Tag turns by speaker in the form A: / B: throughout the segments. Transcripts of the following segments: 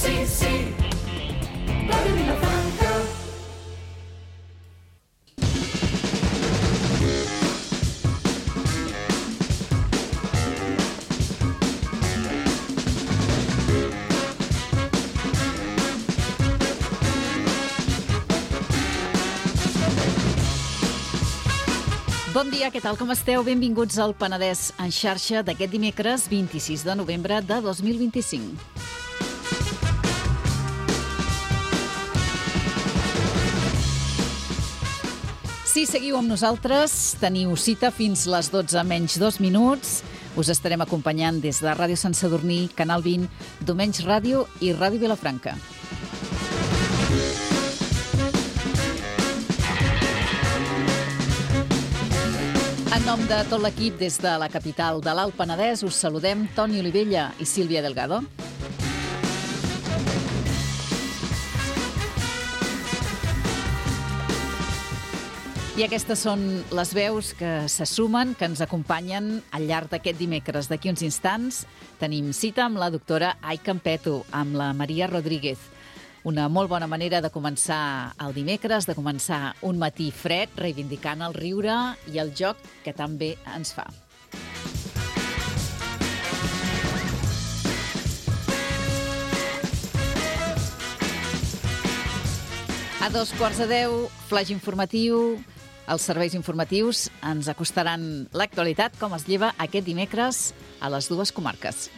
A: sí, sí. Ràdio Vilafranca.
B: Bon dia, què tal, com esteu? Benvinguts al Penedès en xarxa d'aquest dimecres 26 de novembre de 2025. Si seguiu amb nosaltres, teniu cita fins les 12 menys 2 minuts. Us estarem acompanyant des de Ràdio Sant Sadurní, Canal 20, Domenys Ràdio i Ràdio Vilafranca. En nom de tot l'equip des de la capital de l'Alt Penedès us saludem Toni Olivella i Sílvia Delgado. I aquestes són les veus que se sumen, que ens acompanyen al llarg d'aquest dimecres. D'aquí uns instants tenim cita amb la doctora Ai Campeto, amb la Maria Rodríguez. Una molt bona manera de començar el dimecres, de començar un matí fred, reivindicant el riure i el joc que tan bé ens fa. A 9:15, flaix informatiu. Els serveis informatius ens acostaran l'actualitat, com es lleva aquest dimecres a les dues comarques.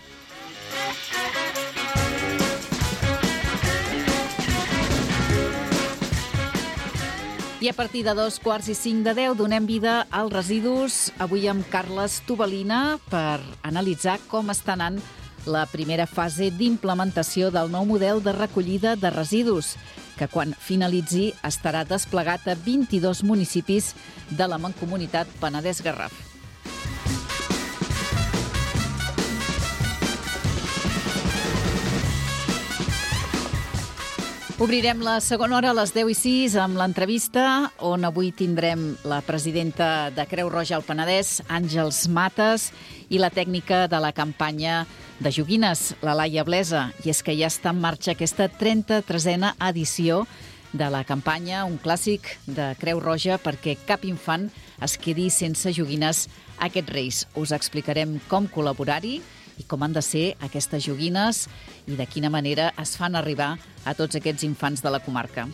B: I a partir de 9:45 donem vida als residus, avui amb Carles Tobalina, per analitzar com està anant la primera fase d'implementació del nou model de recollida de residus, que quan finalitzi estarà desplegat a 22 municipis de la Mancomunitat Penedès-Garraf. Obrirem la segona hora a les 10:06 amb l'entrevista, on avui tindrem la presidenta de Creu Roja al Penedès, Àngels Mates, i la tècnica de la campanya de joguines, la Laia Blesa. I és que ja està en marxa aquesta 33a edició de la campanya, un clàssic de Creu Roja perquè cap infant es quedi sense joguines aquests Reis. Us explicarem com col·laborar-hi i com han de ser aquestes joguines i de quina manera es fan arribar a tots aquests infants de la comarca.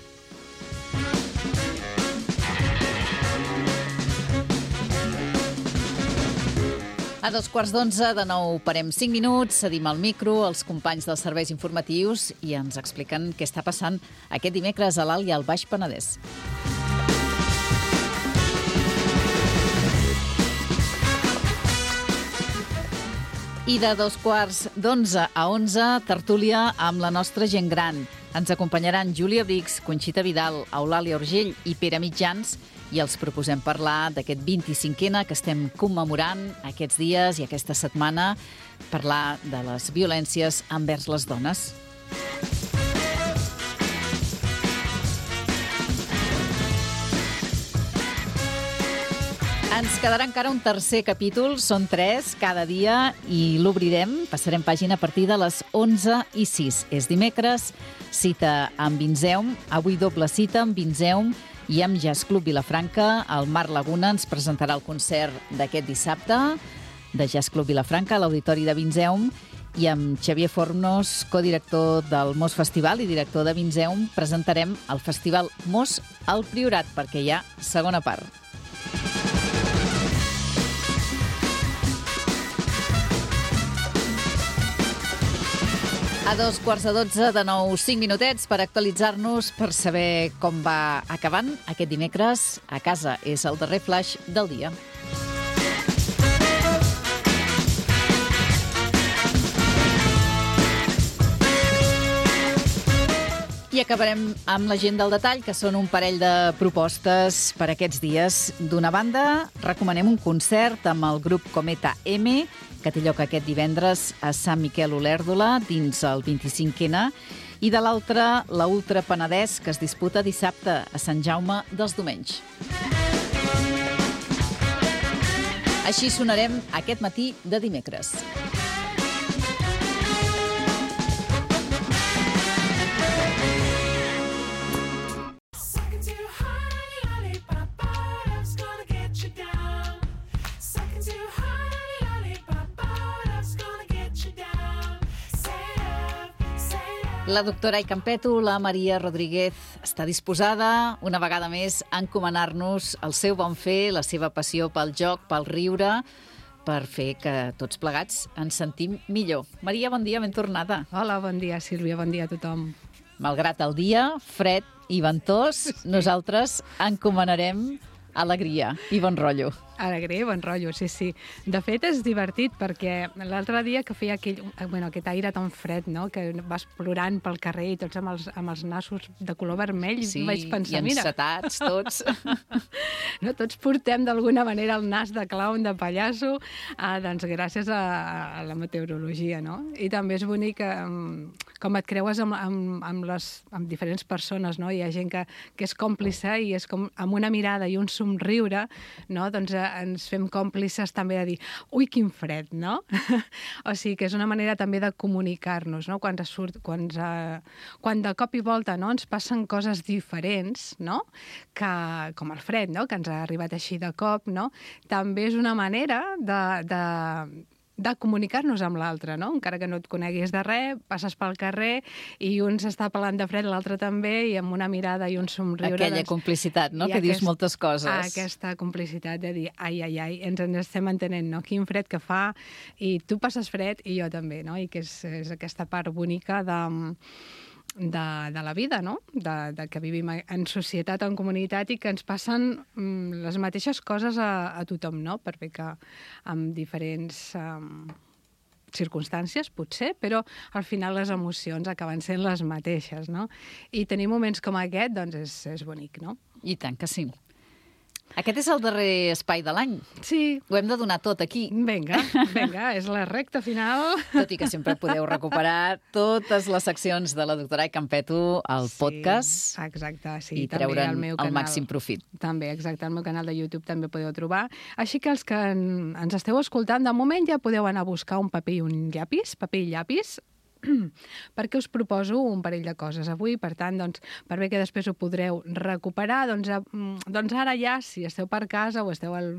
B: A 9:15, de nou parem 5 minuts, cedim el micro als companys dels serveis informatius i ens expliquen què està passant aquest dimecres a l'Alt i al Baix Penedès. I de 9:15 a 11, tertúlia amb la nostra gent gran. Ens acompanyaran Júlia Brix, Conxita Vidal, Eulàlia Urgell i Pere Mitjans, i els proposem parlar d'aquest 25N que estem commemorant aquests dies i aquesta setmana, parlar de les violències envers les dones. Ens quedarà encara un tercer capítol, són 3 cada dia i l'obrirem, passarem pàgina a partir de les 11:06. És dimecres, cita amb Vinzeum, avui doble cita amb Vinzeum i amb Jazz Club Vilafranca. El Marc Laguna ens presentarà el concert d'aquest dissabte de Jazz Club Vilafranca a l'Auditori de Vinzeum, i amb Xavier Fornos, codirector del Mos Festival i director de Vinzeum, presentarem el Festival Mos al Priorat, perquè hi ha segona part. A 9:15, de nou 5 minutets per actualitzar-nos, per saber com va acabant aquest dimecres. A casa és el darrer flaix del dia. I acabarem amb la gent del detall, que són un parell de propostes per aquests dies. D'una banda, recomanem un concert amb el grup Cometa M, que té lloc aquest divendres a Sant Miquel Olèrdola, dins el 25N, i de l'altra, la Ultra Penedès, que es disputa dissabte a Sant Jaume dels Domenys. Així sonarem aquest matí de dimecres. La doctora Aicampeto, la Maria Rodríguez, està disposada una vegada més a encomanar-nos el seu bon fer, la seva passió pel joc, pel riure, per fer que tots plegats ens sentim millor. Maria, bon dia, ben tornada.
C: Hola, bon dia, Sílvia, bon dia a tothom.
B: Malgrat el dia, fred i ventós, nosaltres encomanarem alegria i bon rotllo.
C: Alegria i bon rotllo, sí, sí. De fet, és divertit perquè l'altre dia que feia aquest aire tan fred, no?, que vas plorant pel carrer i tots amb els nassos de color vermell,
B: Sí,
C: vaig pensar,
B: i encetats tots.
C: no, tots portem d'alguna manera el nas de clown, de pallasso, doncs gràcies a la meteorologia, no? I també és bonic com et creues amb diferents persones, no? Hi ha gent que és còmplice i és com amb una mirada i un somriure, no?, doncs ens fem còmplices també de dir ui, quin fred, no? O sigui que és una manera també de comunicar-nos, no? Quan de cop i volta, no?, ens passen coses diferents, no?, com el fred, no?, que ens ha arribat així de cop, no? També és una manera de comunicar-nos amb l'altre, no? Encara que no et coneguis de res, passes pel carrer i un s'està pelant de fred, l'altre també, i amb una mirada i un somriure...
B: Aquella complicitat, no?, que dius moltes coses.
C: Aquesta complicitat de dir, ai, ens estem entenent, no?, quin fred que fa, i tu passes fred i jo també, no?, i que és aquesta part bonica de la vida, no?, de que vivim en societat, en comunitat, i que ens passen les mateixes coses a tothom, no?, per bé que amb diferents circumstàncies, potser, però al final les emocions acaben sent les mateixes, no? I tenir moments com aquest, doncs, és bonic, no?
B: I tant que sí. Aquest és el darrer espai de l'any.
C: Sí.
B: Ho hem de donar tot aquí.
C: Vinga, és la recta final.
B: Tot i que sempre podeu recuperar totes les seccions de la doctora Aicampeto al podcast.
C: Exacte, sí.
B: I treure'n el màxim profit.
C: També, exacte, al meu canal de YouTube també podeu trobar. Així que els que ens esteu escoltant, de moment ja podeu anar a buscar un paper i un llapis, perquè us proposo un parell de coses avui, per tant, doncs, per bé que després ho podreu recuperar, doncs ara ja, si esteu per casa o esteu és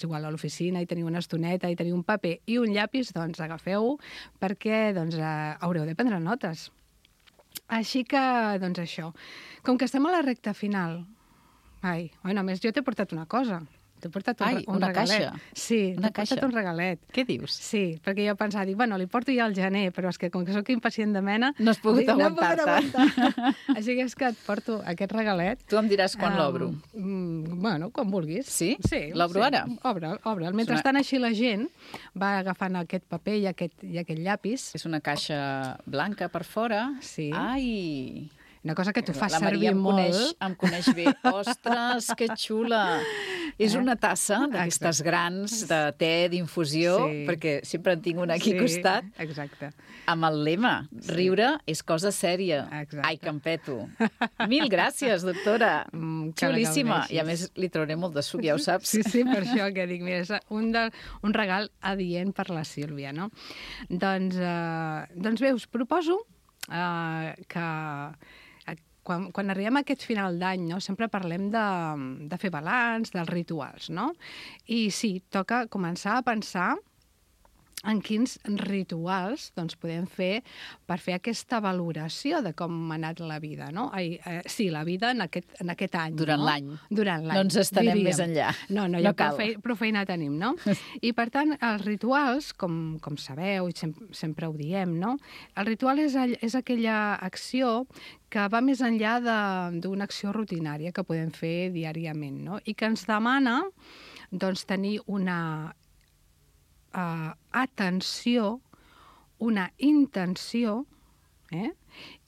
C: igual, a l'oficina i teniu una estoneta i teniu un paper i un llapis, doncs agafeu-ho perquè haureu de prendre notes. Així que, doncs això, com que estem a la recta final, a més, jo t'he portat una cosa. T'he portat un regalet.
B: Caixa?
C: Sí,
B: una
C: t'he portat un regalet.
B: Què dius?
C: Sí, perquè jo pensava, li porto ja al gener, però és que com que sóc impacient de mena...
B: No has pogut aguantar-te.
C: Així que és que et porto aquest regalet.
B: Tu em diràs quan l'obro.
C: Bueno, quan vulguis.
B: Sí? L'obro ara?
C: Obre'l. Mentrestant així la gent va agafant aquest paper i aquest llapis.
B: És una caixa blanca per fora.
C: Sí.
B: Ai...
C: Una cosa que tu fas servir molt.
B: La Maria em coneix bé. Ostres, que xula! És una tassa d'aquestes grans de te, d'infusió, perquè sempre en tinc una aquí al costat.
C: Exacte.
B: Amb el lema, riure és cosa sèria. Aicampeto. Mil gràcies, doctora. Xulíssima. I a més li trauré molt de suc, ja ho saps.
C: Sí, per això que dic, mira, és un regal adient per la Sílvia, no? Doncs bé, us proposo que quan arribem a aquest final d'any, no, sempre parlem de fer balanç, dels rituals, no? I sí, toca començar a pensar en quins rituals podem fer per fer aquesta valoració de com ha anat la vida, no? Sí, la vida en aquest any.
B: Durant l'any.
C: Durant l'any.
B: No ens estarem més enllà.
C: No, ja prou feina tenim, no? I per tant, els rituals, com sabeu, i sempre ho diem, no? El ritual és aquella acció que va més enllà d'una acció rutinària que podem fer diàriament, no? I que ens demana tenir una atenció, una intenció,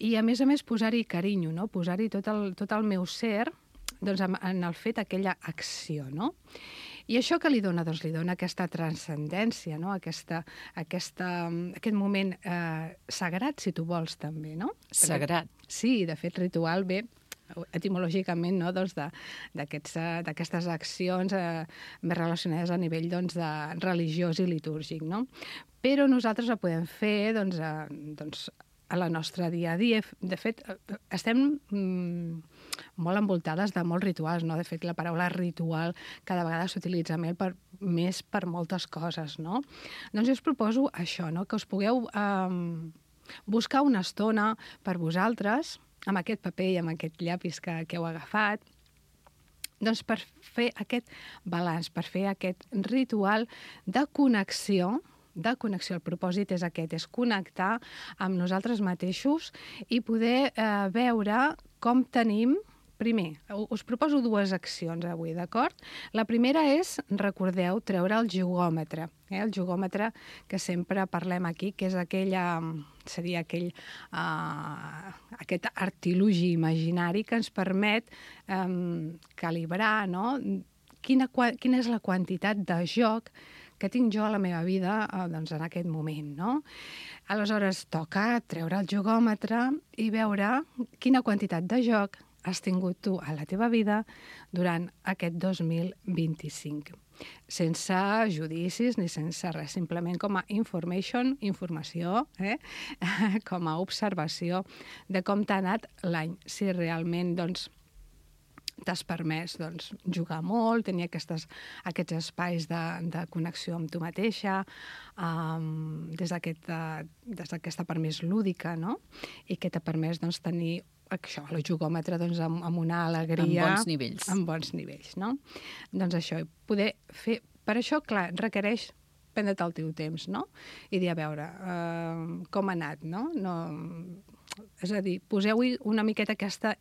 C: i a més posar-hi carinyo, no? Posar-hi tot el meu ser en el fet aquella acció, no? I això que li dona? Doncs li dona aquesta transcendència, no? Aquest moment sagrat, si tu vols, també, no?
B: Sagrat.
C: Sí, de fet, ritual ve etimològicament, no? D'aquestes accions més relacionades a nivell de religiós i litúrgic, no? Però nosaltres ho podem fer a la nostra dia a dia. De fet, estem molt envoltades de molts rituals, no? De fet, la paraula ritual cada vegada s'utilitza més per moltes coses, no? Doncs jo us proposo això, no? Que us pugueu buscar una estona per vosaltres, amb aquest paper i amb aquest llapis que heu agafat, doncs per fer aquest balanç, per fer aquest ritual de connexió. El propòsit és aquest, és connectar amb nosaltres mateixos i poder veure com tenim. Primer, us proposo 2 accions avui, d'acord? La primera és, recordeu, treure el jugòmetre. El jugòmetre que sempre parlem aquí, que és seria aquest artilugi imaginari que ens permet calibrar, no? Quina és la quantitat de joc que tinc jo a la meva vida doncs, en aquest moment, no? Aleshores, toca treure el jugòmetre i veure quina quantitat de joc has tingut tu a la teva vida durant aquest 2025. Sense judicis ni sense res, simplement com a informació, com a observació de com t'ha anat l'any. Si realment doncs, t'has permès jugar molt, tenir aquests espais de connexió amb tu mateixa, des d'aquesta part més lúdica, no? I que t'ha permès tenir això, el jugòmetre amb una alegria...
B: Amb bons nivells.
C: Amb bons nivells, no? Doncs això, poder fer... Per això, clar, requereix prendre't el teu temps, no? I dir, a veure, com ha anat, no? És a dir, poseu-hi una miqueta aquesta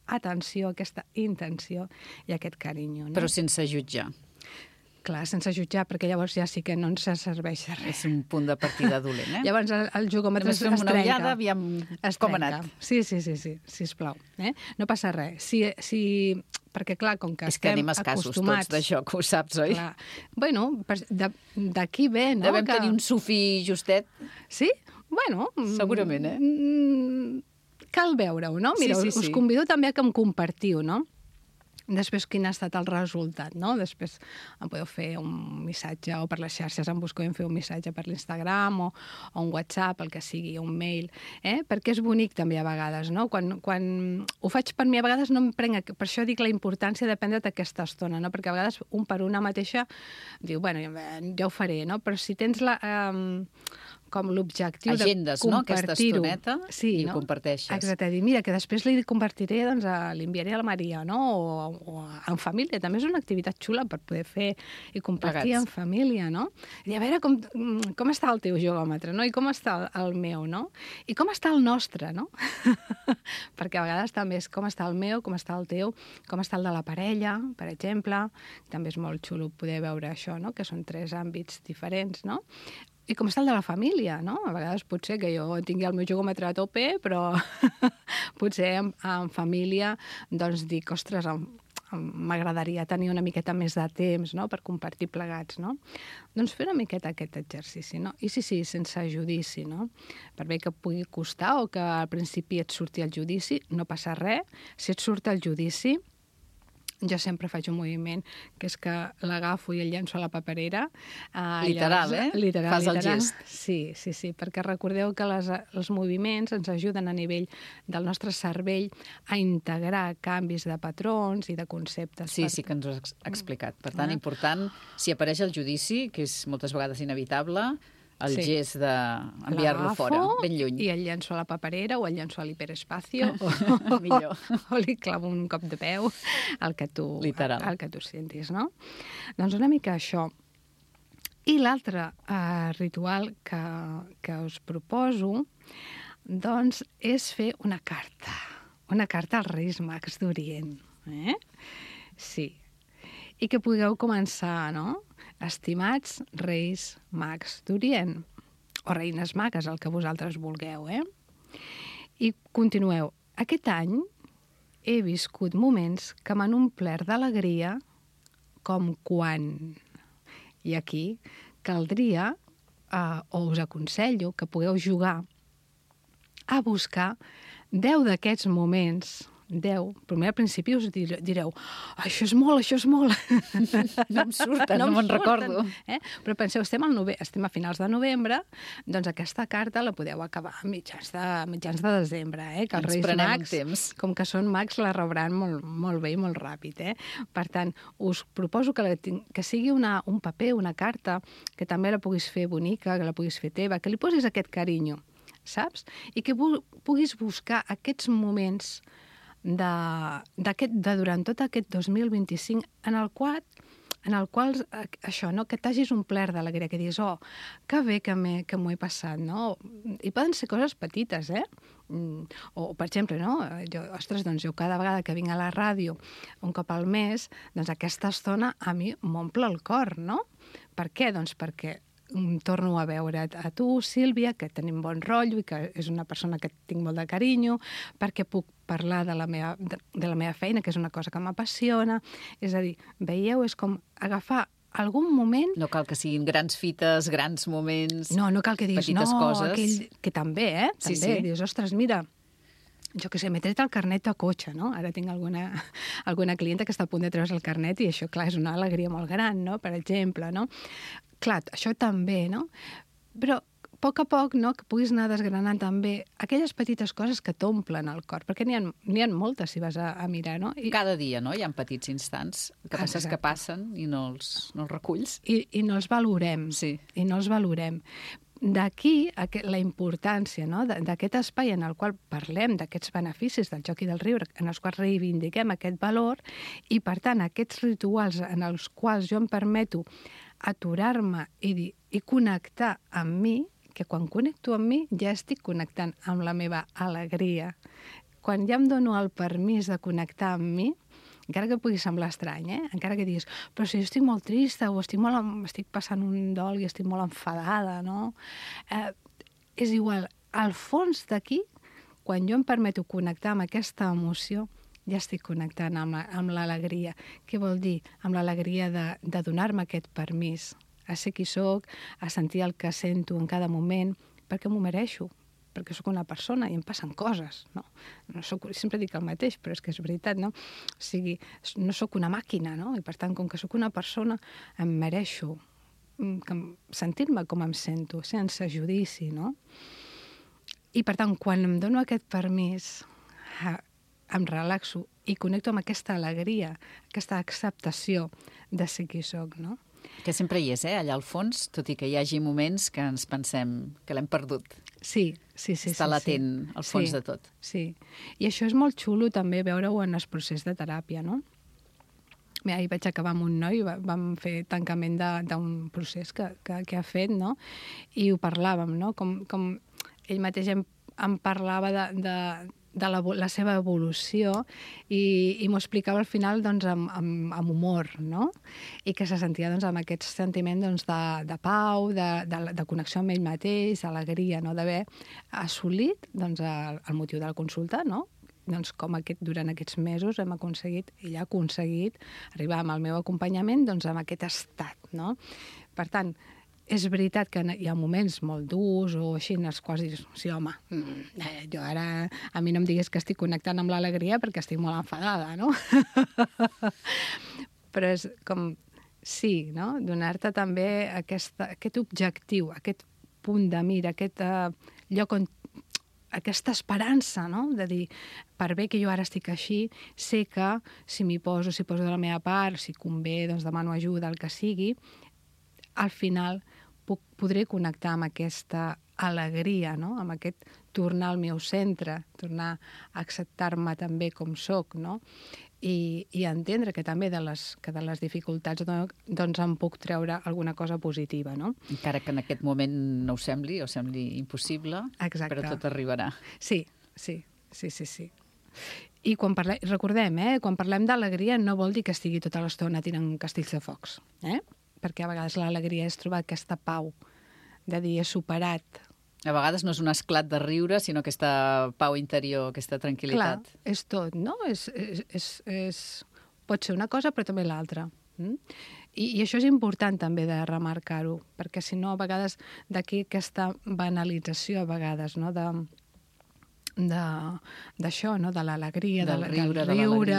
C: atenció, aquesta intenció i aquest carinyo, no?
B: Però sense jutjar.
C: Clar, sense jutjar, perquè llavors ja sí que no ens serveix de res.
B: És un punt de partida dolent, eh?
C: Llavors el jugòmetre es trenca.
B: Una ullada, aviam com ha anat.
C: Sí, sisplau. No passa res. Perquè, clar, com que
B: és que
C: estem
B: anem escassos
C: acostumats...
B: tots d'això, que ho saps, oi?
C: Clar. Bueno, d'aquí ve, no?
B: Devem tenir un sufí justet.
C: Sí? Bueno...
B: Segurament, eh?
C: Cal veure-ho, no? Mira,
B: sí.
C: Us convido també a que em compartiu, no? Després, quin ha estat el resultat, no? Després em podeu fer un missatge, o per les xarxes em busqueu i em feu un missatge per l'Instagram o un WhatsApp, el que sigui, un mail, perquè és bonic també a vegades, no? Quan ho faig per mi, a vegades no em prenc... Per això dic la importància de prendre't aquesta estona, no? Perquè a vegades un per una mateixa diu, bueno, ja ho faré, no? Però si tens com l'objectiu de compartir-ho...
B: Agendes, no?, aquesta estoneta,
C: sí,
B: i ho comparteixes.
C: Exacte, dir, mira, que després li compartiré, doncs, li enviaré a la Maria, no?, o en família. També és una activitat xula per poder fer i compartir en família, no? I a veure com està el teu jugòmetre, no?, i com està el meu, no? I com està el nostre, no? Perquè a vegades també és com està el meu, com està el teu, com està el de la parella, per exemple. També és molt xulo poder veure això, no?, que són 3 àmbits diferents, no? I com està el de la família, no? A vegades pot ser que jo tingui el meu jugòmetre a tope, però potser en família doncs dic, ostres, m'agradaria tenir una miqueta més de temps, no?, per compartir plegats, no? Doncs fer una miqueta aquest exercici, no? I sí, sense judici, no? Per bé que pugui costar o que al principi et surti el judici, no passa res. Si et surt el judici, jo sempre faig un moviment, que és que l'agafo i el llenço a la paperera.
B: Literal,
C: Literal.
B: Fas el gest.
C: Sí, perquè recordeu que els moviments ens ajuden a nivell del nostre cervell a integrar canvis de patrons i de conceptes.
B: Sí, que ens ho has explicat. Per tant, important, si apareix el judici, que és moltes vegades inevitable, el gest d'enviar-lo fora, ben lluny.
C: I el llenço a la paperera o el llenço a l'hiperespacio
B: Millor.
C: o li clavo un cop de peu al que tu sentis, no? Doncs una mica això. I l'altre ritual que us proposo doncs és fer una carta als Reis Mags d'Orient. Sí. I que pugueu començar, no? Estimats Reis Mags d'Orient, o Reines Magues, el que vosaltres vulgueu, I continueu. Aquest any he viscut moments que m'han omplert d'alegria com quan... I aquí caldria, o us aconsello, que pugueu jugar a buscar 10 d'aquests moments... 10. Primer al principi us direu això és molt.
B: No em surten, no me'n recordo.
C: Però penseu, estem a finals de novembre, doncs aquesta carta la podeu acabar a mitjans de desembre, que els Reis Mags, com que són mags, la rebran molt bé i molt ràpid. Per tant, us proposo que sigui un paper, una carta, que també la puguis fer bonica, que la puguis fer teva, que li posis aquest carinyo. saps? I que puguis buscar aquests moments de durant tot aquest 2025 en el qual això, no? Que t'hagis omplert d'alegria, que diguis, oh, que bé que m'ho he passat, no? I poden ser coses petites, O, per exemple, no? Jo cada vegada que vinc a la ràdio un cop al mes, doncs aquesta estona a mi m'omple el cor, no? Per què? Doncs perquè torno a veure a tu, Sílvia, que tenim bon rotllo i que és una persona que tinc molt de carinyo, perquè puc parlar de la meva feina, que és una cosa que m'apassiona. És a dir, veieu, és com agafar algun moment...
B: No cal que siguin grans fites, grans moments...
C: No cal que diguis,
B: petites coses.
C: Aquell, que també,
B: Sí,
C: també.
B: sí.
C: Dius, ostres, mira, jo què sé, m'he tret el carnet de cotxe, no? Ara tinc alguna clienta que està a punt de treure's el carnet i això, clar, és una alegria molt gran, no? Per exemple, no? Clar, això també, no? Però a poc, no?, que puguis anar desgranant també aquelles petites coses que t'omplen el cor, perquè n'hi ha moltes si vas a mirar, no?
B: Cada dia, no?, hi ha petits instants que passes que passen i no els reculls.
C: I no els valorem.
B: Sí.
C: I no els valorem. D'aquí la importància, no?, d'aquest espai en el qual parlem d'aquests beneficis del joc i del riure, en els quals reivindiquem aquest valor, i, per tant, aquests rituals en els quals jo em permeto aturar-me i connectar amb mi, que quan connecto amb mi ja estic connectant amb la meva alegria. Quan ja em dono el permís de connectar amb mi, encara que pugui semblar estrany, encara que diguis, però si jo estic molt trista o estic passant un dol i estic molt enfadada, no? És igual, al fons d'aquí, quan jo em permeto connectar amb aquesta emoció, ja estic connectant amb l'alegria. Què vol dir? Amb l'alegria de donar-me aquest permís a ser qui soc, a sentir el que sento en cada moment, perquè m'ho mereixo, perquè sóc una persona i em passen coses, no? Sempre dic el mateix, però és que és veritat, no? O sigui, no sóc una màquina, no? I per tant, com que sóc una persona, em mereixo sentir-me com em sento, sense judici, no? I per tant, quan em dono aquest permís, em relaxo i connecto amb aquesta alegria, aquesta acceptació de ser qui soc, no?
B: Que sempre hi és, allà al fons, tot i que hi hagi moments que ens pensem que l'hem perdut.
C: Sí.
B: Està latent al fons de tot.
C: Sí, i això és molt xulo també veure-ho en el procés de teràpia, no? Ahir vaig acabar amb un noi, vam fer tancament d'un procés que ha fet, no? I ho parlàvem, no? Com ell mateix em parlava de la seva evolució i m'ho explicava al final doncs, amb humor, no? I que se sentia doncs, amb aquest sentiment doncs, de pau, de connexió amb ell mateix, d'alegria, no? D'haver assolit doncs, el motiu de la consulta, no? Doncs, com durant aquests mesos ell ha aconseguit arribar amb el meu acompanyament doncs, amb aquest estat, no? Per tant, és veritat que hi ha moments molt durs o així en els quals dius, sí, home, jo ara a mi no em digues que estic connectant amb l'alegria perquè estic molt enfadada, no? Però és com, sí, no? Donar-te també aquest objectiu, aquest punt de mira, aquest lloc on aquesta esperança, no? De dir, per bé que jo ara estic així, sé que si poso de la meva part, si convé, doncs demano ajuda, el que sigui, al final podré connectar amb aquesta alegria, no? Amb aquest tornar al meu centre, tornar a acceptar-me també com soc, no? I entendre que també de les dificultats doncs em puc treure alguna cosa positiva, no?
B: Encara que en aquest moment no ho sembli, o sembli impossible,
C: exacte,
B: però tot arribarà.
C: Sí. I recordem, quan parlem d'alegria no vol dir que estigui tota l'estona tirant castells de focs, perquè a vegades l'alegria és trobar aquesta pau, de dir, he superat.
B: A vegades no és un esclat de riure, sinó aquesta pau interior, aquesta tranquil·litat.
C: Clar, és tot, no? Pot ser una cosa, però també l'altra. I això és important també de remarcar-ho, perquè si no, a vegades, d'aquí aquesta banalització, a vegades, no?, d'això, no?, de l'alegria, del riure,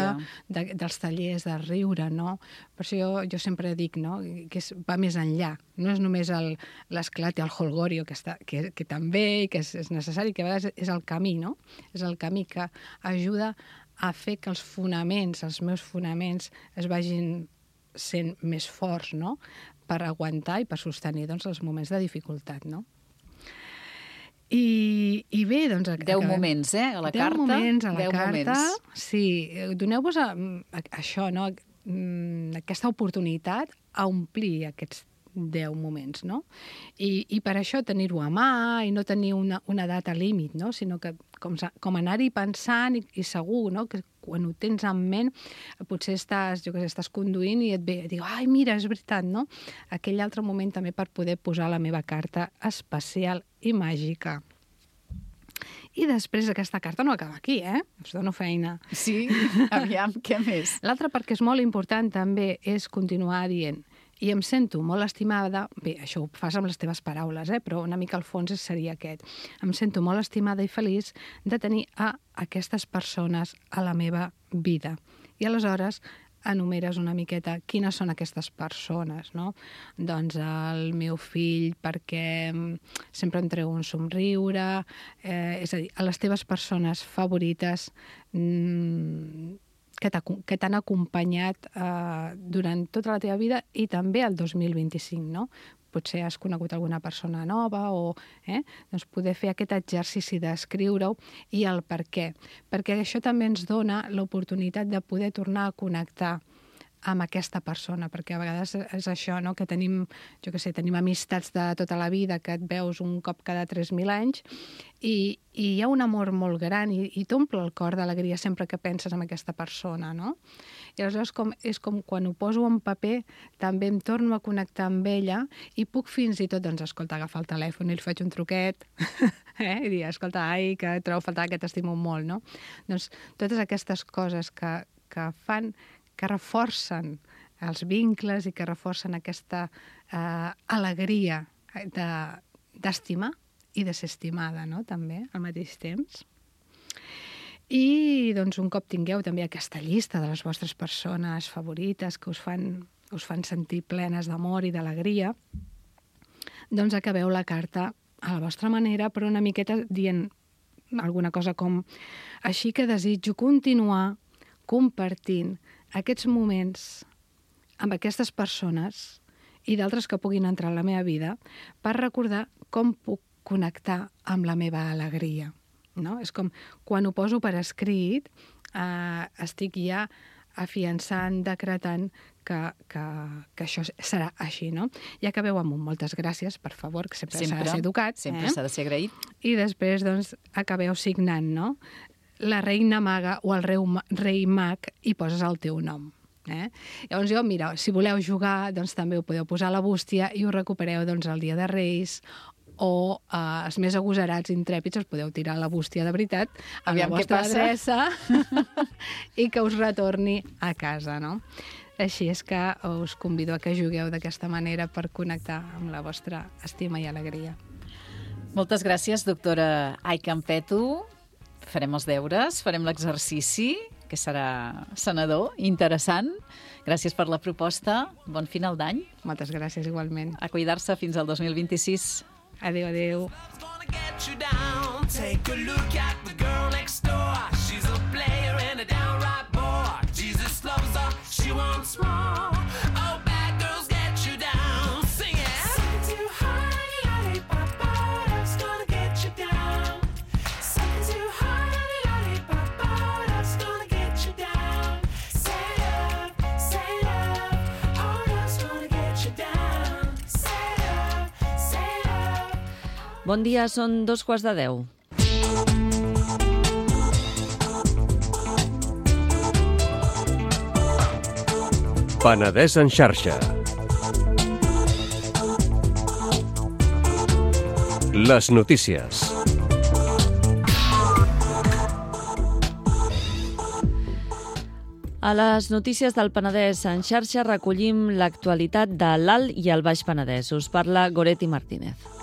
C: dels tallers de riure, no? Per això jo sempre dic, no?, que va més enllà. No és només l'esclat i el holgorio, que també i que és necessari, que a vegades és el camí, no? És el camí que ajuda a fer que els meus fonaments es vagin sent més forts, no?, per aguantar i per sostenir doncs, els moments de dificultat, no? I bé, doncs...
B: 10 moments, a la carta.
C: 10 moments a la
B: 10
C: carta.
B: Moments.
C: Sí, doneu-vos això, no? Aquesta oportunitat a omplir aquests 10 moments, no? I per això tenir-ho a mà i no tenir una data límit, no? Sinó que com anar-hi pensant i segur, no? Que quan ho tens en ment, potser estàs conduint i et ve, diu, ai, mira, és veritat, no? Aquell altre moment també per poder posar la meva carta especial i màgica. I després aquesta carta no acaba aquí, Us dono feina.
B: Sí? Aviam, què més?
C: L'altra, perquè és molt important també, és continuar dient i em sento molt estimada, bé, això ho fas amb les teves paraules, però una mica al fons seria aquest. Em sento molt estimada i feliç de tenir a aquestes persones a la meva vida. I aleshores enumeres una miqueta quines són aquestes persones, no? Doncs el meu fill perquè sempre em treu un somriure, és a dir, a les teves persones favorites que t'han acompanyat durant tota la teva vida i també el 2025, no? Potser has conegut alguna persona nova o doncs poder fer aquest exercici d'escriure-ho i el per què. Perquè això també ens dona l'oportunitat de poder tornar a connectar amb aquesta persona, perquè a vegades és això, no? Que tenim, tenim amistats de tota la vida que et veus un cop cada 3.000 anys i hi ha un amor molt gran i t'omple el cor d'alegria sempre que penses en aquesta persona, no? I aleshores és com quan ho poso en paper també em torno a connectar amb ella i puc fins i tot, doncs, escolta, agafar el telèfon i li faig un truquet i dir, escolta, ai, que et trobo a faltar, que t'estimo molt, no? Doncs totes aquestes coses que fan que reforcen els vincles i que reforcen aquesta alegria d'estimar i de ser estimada, no?, també, al mateix temps. I, doncs, un cop tingueu també aquesta llista de les vostres persones favorites que us fan sentir plenes d'amor i d'alegria, doncs acabeu la carta a la vostra manera, però una miqueta dient alguna cosa com així que desitjo continuar compartint aquests moments amb aquestes persones i d'altres que puguin entrar a la meva vida per recordar com puc connectar amb la meva alegria, no? És com quan ho poso per escrit, estic ja afiançant, decretant que això serà així, no? I acabeu amb un moltes gràcies, per favor, que sempre s'ha de ser educat.
B: Sempre s'ha de ser agraït.
C: I després, doncs, acabeu signant, no? La reina maga o el rei mag i poses el teu nom. Llavors jo, mira, si voleu jugar, doncs també ho podeu posar a la bústia i ho recupereu doncs, el dia de Reis o els més agosarats, intrèpids, us podeu tirar a la bústia de veritat amb la vostra adreça i que us retorni a casa, no? Així és que us convido a que jugueu d'aquesta manera per connectar amb la vostra estima i alegria.
B: Moltes gràcies, doctora Aykampetu. Farem els deures, farem l'exercici, que serà sanador, interessant. Gràcies per la proposta. Bon final d'any.
C: Moltes gràcies, igualment.
B: A cuidar-se fins al 2026.
C: Adéu, adéu.
D: Bon dia, són 2:15.
E: Penedès en xarxa. Les notícies.
D: A les notícies del Penedès en xarxa recollim l'actualitat de l'Alt i el Baix Penedès. Us parla Goretti Martínez.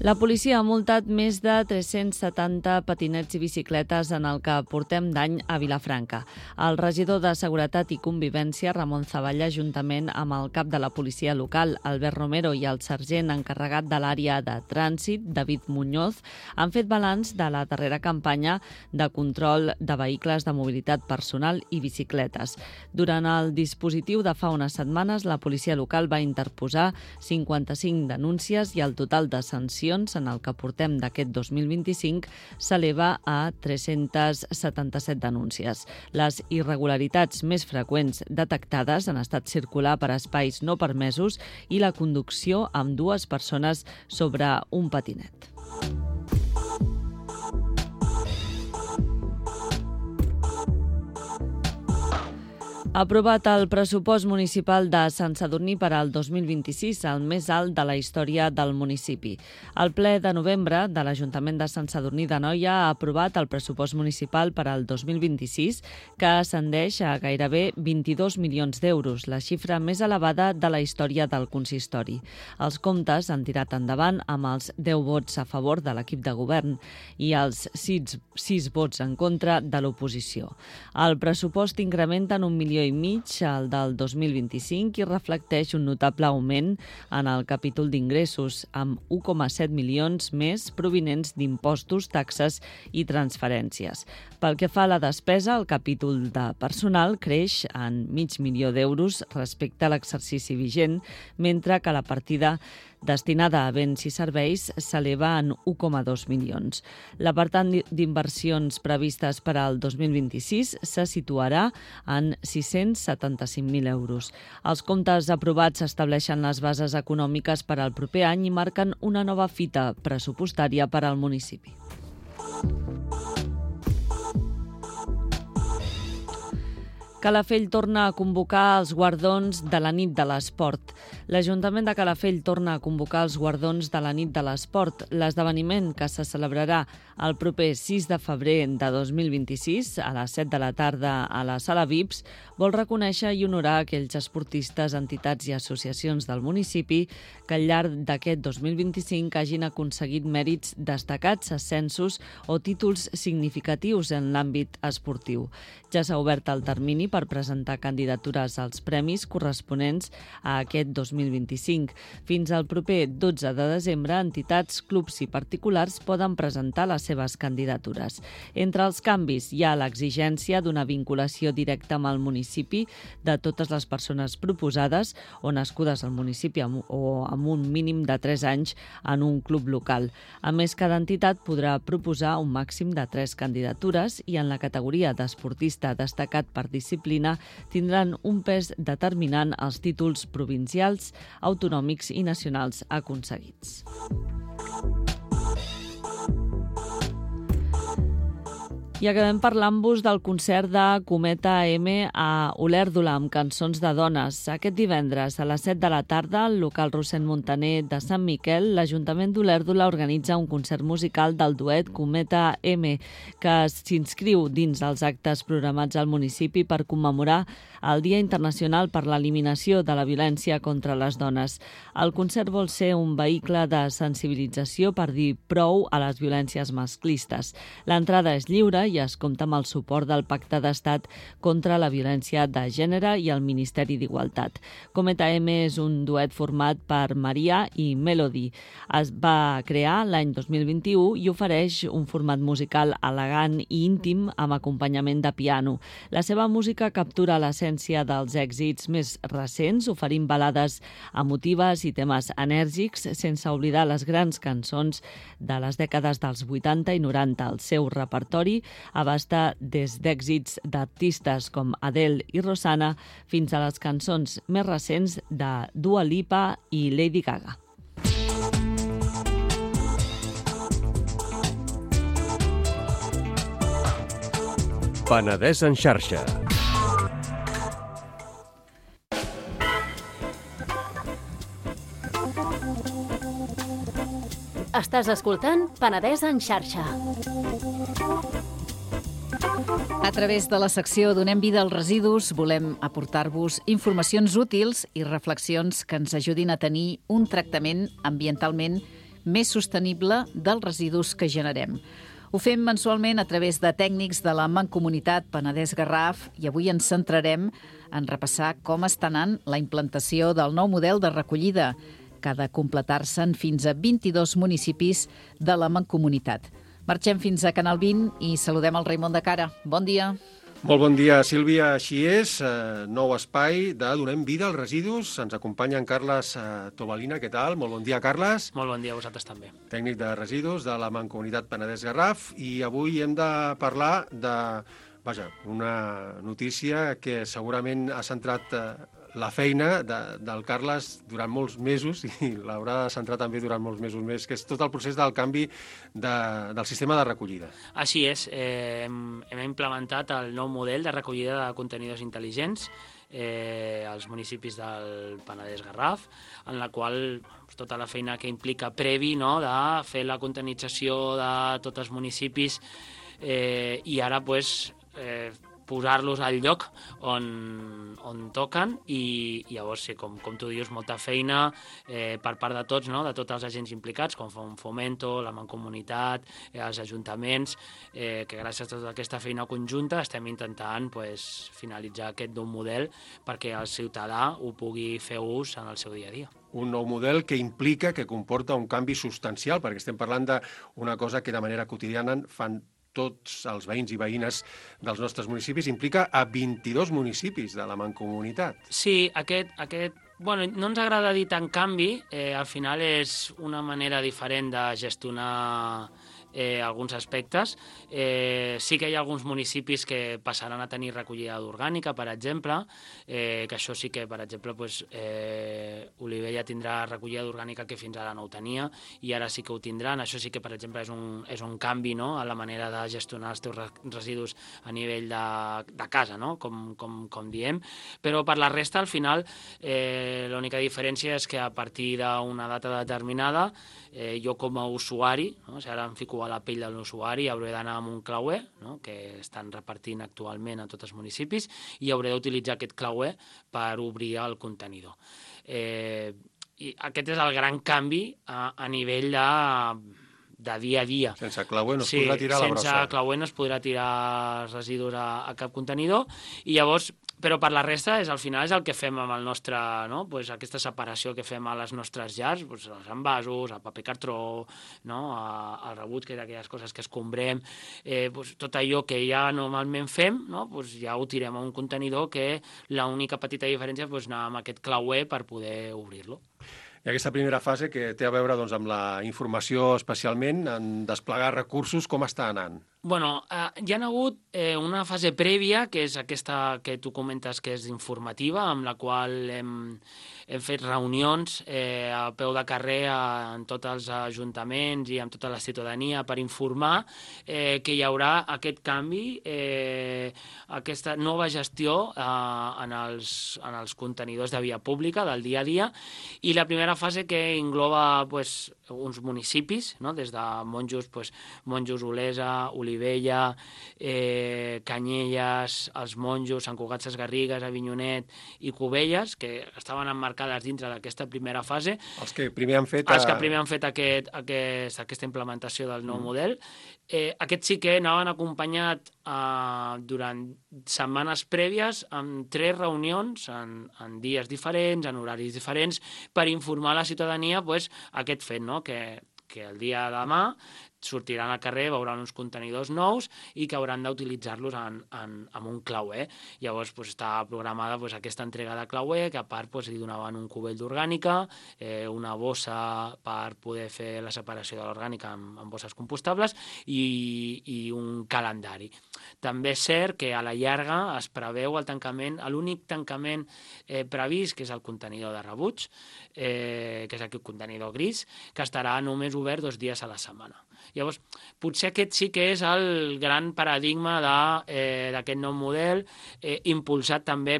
D: La policia ha multat més de 370 patinets i bicicletes en el que portem d'any a Vilafranca. El regidor de Seguretat i Convivència, Ramon Zavalla, juntament amb el cap de la policia local, Albert Romero, i el sergent encarregat de l'àrea de trànsit, David Muñoz, han fet balanç de la darrera campanya de control de vehicles de mobilitat personal i bicicletes. Durant el dispositiu de fa unes setmanes, la policia local va interposar 55 denúncies i el total de sancions en el que portem d'aquest 2025 s'eleva a 377 denúncies. Les irregularitats més freqüents detectades han estat circular per espais no permesos i la conducció amb dues persones sobre un patinet. Aprovat el pressupost municipal de Sant Sadurní per al 2026, el més alt de la història del municipi. El ple de novembre de l'Ajuntament de Sant Sadurní d'Anoia ha aprovat el pressupost municipal per al 2026, que ascendeix a gairebé 22 milions d'euros, la xifra més elevada de la història del consistori. Els comptes han tirat endavant amb els 10 vots a favor de l'equip de govern i els 6 vots en contra de l'oposició. El pressupost incrementa en 1,5 milió al del 2025 i reflecteix un notable augment en el capítol d'ingressos, amb 1,7 milions més provinents d'impostos, taxes i transferències. Pel que fa a la despesa, el capítol de personal creix en $500,000 d'euros respecte a l'exercici vigent, mentre que la partida destinada a béns i serveis s'eleva en 1,2 milions. L'apartat d'inversions previstes per al 2026 se situarà en 675.000 euros. Els comptes aprovats estableixen les bases econòmiques per al proper any i marquen una nova fita pressupostària per al municipi. Calafell torna a convocar els guardons de la nit de l'esport. L'Ajuntament de Calafell torna a convocar els guardons de la nit de l'esport. L'esdeveniment, que se celebrarà el proper 6 de febrer de 2026 a les 7 de la tarda a la Sala VIPs, vol reconèixer i honorar aquells esportistes, entitats i associacions del municipi que al llarg d'aquest 2025 hagin aconseguit mèrits destacats, ascensos o títols significatius en l'àmbit esportiu. Ja s'ha obert el termini per presentar candidatures als premis corresponents a aquest 2025. Fins al proper 12 de desembre, entitats, clubs i particulars poden presentar les seves candidatures. Entre els canvis hi ha l'exigència d'una vinculació directa amb el municipi de totes les persones proposades o nascudes al municipi o amb un mínim de 3 anys en un club local. A més, cada entitat podrà proposar un màxim de 3 candidatures i en la categoria d'esportista destacat per disciplina tindran un pes determinant els títols provincials, autonòmics i nacionals aconseguits. I acabem parlant-vos del concert de Cometa M a Olèrdola amb cançons de dones. Aquest divendres a les 7 de la tarda al local Rossend Montaner de Sant Miquel, l'Ajuntament d'Olèrdola organitza un concert musical del duet Cometa M que s'inscriu dins els actes programats al municipi per commemorar el Dia Internacional per l'Eliminació de la Violència contra les Dones. El concert vol ser un vehicle de sensibilització per dir prou a les violències masclistes. L'entrada és lliure i es compta amb el suport del Pacte d'Estat contra la Violència de Gènere i el Ministeri d'Igualtat. Cometa M és un duet format per Maria i Melody. Es va crear l'any 2021 i ofereix un format musical elegant i íntim amb acompanyament de piano. La seva música captura l'essència dels èxits més recents, oferint balades emotives i temes enèrgics, sense oblidar les grans cançons de les dècades dels 80 i 90. El seu repertori abasta des d'èxits d'artistes com Adele i Rosanna fins a les cançons més recents de Dua Lipa i Lady Gaga.
E: Penedès en xarxa.
A: Estàs escoltant Penedès en xarxa.
B: A través de la secció Donem vida als residus volem aportar-vos informacions útils i reflexions que ens ajudin a tenir un tractament ambientalment més sostenible dels residus que generem. Ho fem mensualment a través de tècnics de la Mancomunitat Penedès-Garraf i avui ens centrarem en repassar com està anant la implantació del nou model de recollida, que ha de completar-se en fins a 22 municipis de la Mancomunitat. Marxem fins a Canal 20 i saludem el Raimon de Cara. Bon dia.
E: Molt bon dia, Sílvia. Així és, nou espai de Donem vida als residus. Ens acompanya en Carles Tobalina. Què tal? Molt bon dia, Carles.
F: Molt bon dia a vosaltres també.
E: Tècnic de residus de la Mancomunitat Penedès-Garraf. I avui hem de parlar de, una notícia que segurament ha centrat la feina del Carles durant molts mesos i l'haurà de centrar també durant molts mesos més, que és tot el procés del canvi del sistema de recollida.
F: Així és, hem implementat el nou model de recollida de contenidors intel·ligents als municipis del Penedès-Garraf, en la qual tota la feina que implica previ, no, de fer la contenització de tots els municipis i ara posar-los al lloc on toquen i llavors, sí, com tu dius, molta feina per part de tots, no? De tots els agents implicats, com Fomento, la Mancomunitat, els ajuntaments, que gràcies a tota aquesta feina conjunta estem intentant finalitzar aquest nou model perquè el ciutadà ho pugui fer ús en el seu dia a dia.
E: Un nou model que implica, que comporta un canvi substancial, perquè estem parlant d'una cosa que de manera quotidiana fan tots els veïns i veïnes dels nostres municipis, implica a 22 municipis de la Mancomunitat.
F: Sí, no ens agrada dir tant canvi, al final és una manera diferent de gestionar alguns aspectes. Sí que hi ha alguns municipis que passaran a tenir recollida d'orgànica, per exemple, que això sí que, per exemple, Olivella tindrà recollida d'orgànica que fins ara no ho tenia i ara sí que ho tindran. Això sí que, per exemple, és un canvi, no?, a la manera de gestionar els teus residus a nivell de casa, no?, com diem. Però per la resta, al final, l'única diferència és que a partir d'una data determinada, jo com a usuari, no?, si ara em fico a la pell de l'usuari, hauré d'anar amb un clauer, no?, que estan repartint actualment a tots els municipis, i hauré d'utilitzar aquest clauer per obrir el contenidor. I aquest és el gran canvi a nivell de dia a dia.
E: Sense clauer no es podrà tirar la brossa.
F: Sense clauer no es podrà tirar residus a cap contenidor, i llavors, però per la resta, al final és el que fem amb el nostre, no?, aquesta separació que fem a les nostres llars, els envasos, el paper cartró, no?, el rebuig, que és aquelles coses que escombrem, tot allò que ja normalment fem, no?, ja ho tirem a un contenidor, que l'única petita diferència és anar amb aquest clauer per poder obrir-lo.
E: I aquesta primera fase, que té a veure amb la informació especialment, en desplegar recursos, com està anant?
F: Bueno, hi ha hagut una fase prèvia, que és aquesta que tu comentes que és informativa, amb la qual hem fet reunions a peu de carrer en tots els ajuntaments i amb tota la ciutadania per informar que hi haurà aquest canvi, aquesta nova gestió en els contenidors de via pública del dia a dia, i la primera fase que engloba uns municipis, no?, des de Monjos, Olesa, Olivella, Canyelles, els Monjos, Sant Cugat Sesgarrigues, Avinyonet i Cubelles, que estaven emmarcades dintre d'aquesta primera fase.
E: Els que primer han fet
F: aquesta implementació del nou model. Aquests sí que anaven acompanyat durant setmanes prèvies amb 3 reunions en dies diferents, en horaris diferents, per informar a la ciutadania aquest fet, no?, que el dia de demà sortiran al carrer, veuran uns contenidors nous i que hauran d'utilitzar-los amb un clauer. Llavors està programada aquesta entrega de clauer, que a part li donaven un cubell d'orgànica, una bossa per poder fer la separació de l'orgànica amb bosses compostables i un calendari. També és cert que a la llarga es preveu el tancament, l'únic tancament previst, que és el contenidor de rebuig, que és aquest contenidor gris, que estarà només obert 2 dies a la setmana. Llavors, potser aquest sí que és el gran paradigma d'aquest nou model, impulsat també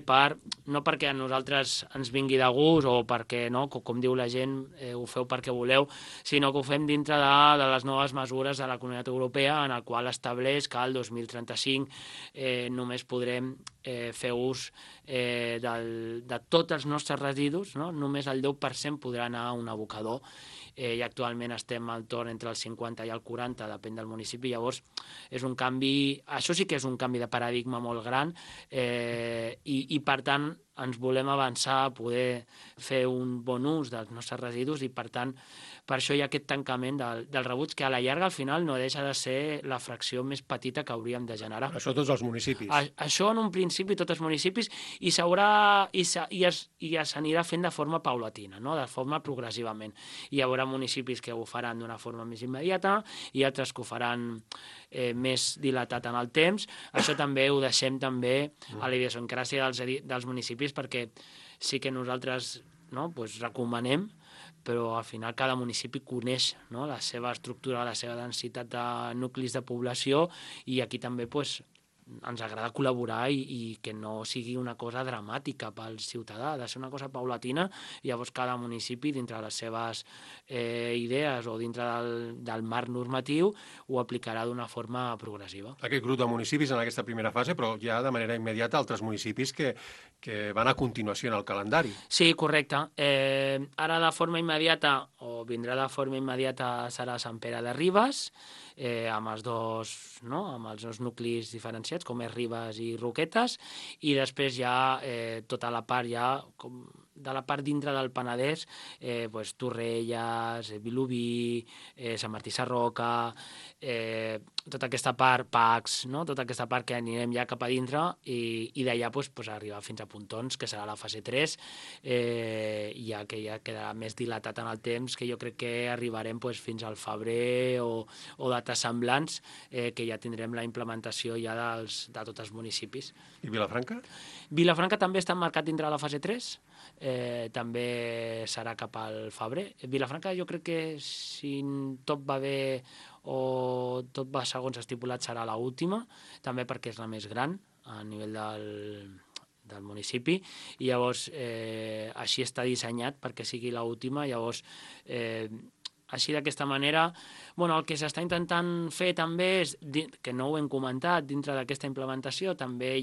F: no perquè a nosaltres ens vingui de gust o perquè, no, com diu la gent, ho feu perquè voleu, sinó que ho fem dintre de les noves mesures de la Comunitat Europea, en el qual estableix que el 2035 només podrem fer ús de tots els nostres residus, no? Només el 10% podrà anar a un abocador, i actualment estem al torn entre el 50 i el 40, depèn del municipi. Llavors, és un canvi, això sí que és un canvi de paradigma molt gran, i per tant ens volem avançar a poder fer un bon ús dels nostres residus, i per tant per això hi ha aquest tancament del rebuig, que a la llarga al final no deixa de ser la fracció més petita que hauríem de generar.
E: Això tots els municipis.
F: Això en un principi tots els municipis, i s'anirà fent de forma paulatina, no? De forma progressivament. Hi haurà municipis que ho faran d'una forma més immediata i altres que ho faran més dilatat en el temps. Això també ho deixem també a la idiosincràsia dels municipis, perquè sí que nosaltres, no, doncs recomanem, però al final cada municipi coneix, no, la seva estructura, la seva densitat de nuclis de població, i aquí també doncs, ens agrada col·laborar i que no sigui una cosa dramàtica pel ciutadà, ha de ser una cosa paulatina, i llavors cada municipi, dintre de les seves idees o dintre del marc normatiu, ho aplicarà d'una forma progressiva.
E: Aquest grup de municipis en aquesta primera fase, però ja de manera immediata altres municipis que van a continuació en el calendari.
F: Sí, correcte. Ara de forma immediata, o vindrà de forma immediata, serà Sant Pere de Ribes, amb els dos nuclis diferenciats, com és Ribes i Roquetes, i després ja tota la part de la part dintre del Penedès, Torrelles, Vilobí, Sant Martí Sarroca, tota aquesta part, Pacs, no? Tota aquesta part que anirem ja cap a dintre, i d'allà arribar fins a Pontons, que serà la fase 3, ja que ja quedarà més dilatat en el temps, que jo crec que arribarem fins al febrer o dates semblants, que ja tindrem la implementació ja de tots els municipis.
E: I Vilafranca?
F: Vilafranca també està marcat dintre de la fase 3, també serà cap al febrer. Vilafranca jo crec que, si tot va bé o tot va segons estipulat, serà l'última, també perquè és la més gran a nivell del municipi, i llavors així està dissenyat perquè sigui l'última. Llavors així, d'aquesta manera, el que s'està intentant fer també és, que no ho hem comentat, dintre d'aquesta implementació també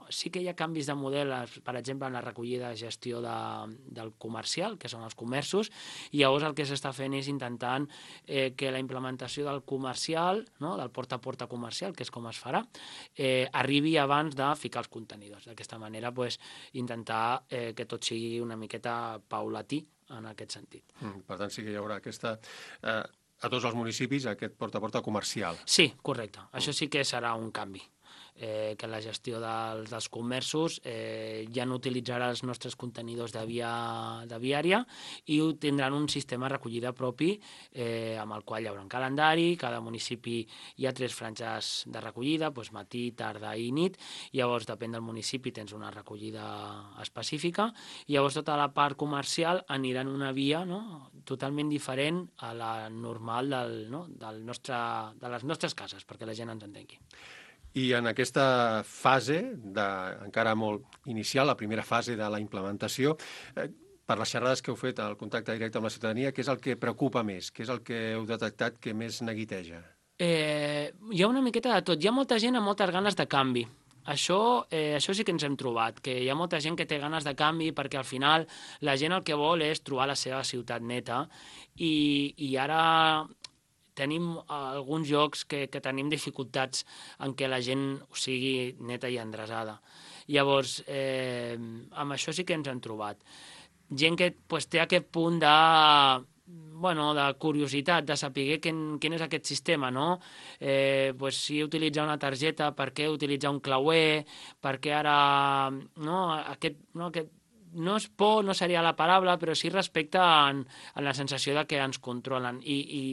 F: sí que hi ha canvis de model, per exemple, en la recollida i gestió del comercial, que són els comerços, i llavors el que s'està fent és intentant que la implementació del comercial, no, del porta a porta comercial, que és com es farà, arribi abans de ficar els contenidors. D'aquesta manera, intentar que tot sigui una miqueta paulatí en aquest sentit.
E: Per tant, sí que hi haurà a tots els municipis aquest porta a porta comercial.
F: Sí, correcte. Això sí que serà un canvi. Que la gestió dels comerços ja no utilitzarà els nostres contenidors de viària, i tindran un sistema de recollida propi, amb el qual hi haurà un calendari. Cada municipi hi ha 3 franges de recollida, matí, tarda i nit. Llavors, depèn del municipi, tens una recollida específica, i llavors tota la part comercial anirà en una via, no, totalment diferent a la normal de les nostres cases, perquè la gent ens entengui.
E: I en aquesta fase, encara molt inicial, la primera fase de la implementació, per les xerrades que heu fet, el contacte directe amb la ciutadania, què és el que preocupa més? Què és el que heu detectat que més neguiteja?
F: Hi ha una miqueta de tot. Hi ha molta gent amb moltes ganes de canvi. Això sí que ens hem trobat, que hi ha molta gent que té ganes de canvi, perquè al final la gent el que vol és trobar la seva ciutat neta, i ara tenim alguns llocs que tenim dificultats en què la gent sigui neta i endreçada. Llavors, amb això sí que ens hem trobat. Gent que té aquest punt de curiositat, de saber quin és aquest sistema, no? Si utilitzar una targeta, per què utilitzar un clauer, per què ara aquest no és por, no seria la paraula, però sí respecte en la sensació de que ens controlen, i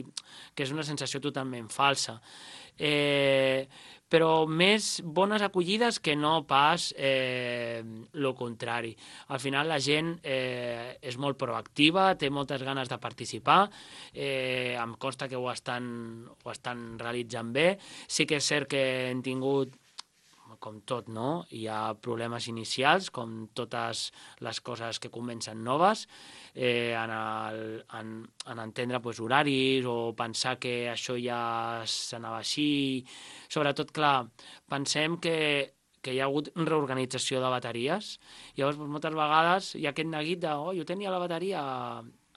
F: que és una sensació totalment falsa. Però més bones acollides que no pas el contrari. Al final la gent és molt proactiva, té moltes ganes de participar, em consta que ho estan realitzant bé. Sí que és cert que hem tingut, com tot, no? Hi ha problemes inicials, com totes les coses que comencen noves, en entendre horaris o pensar que això ja s'anava així. Sobretot, clar, pensem que hi ha hagut reorganització de bateries. Llavors, moltes vegades hi ha aquest neguit de jo tenia la bateria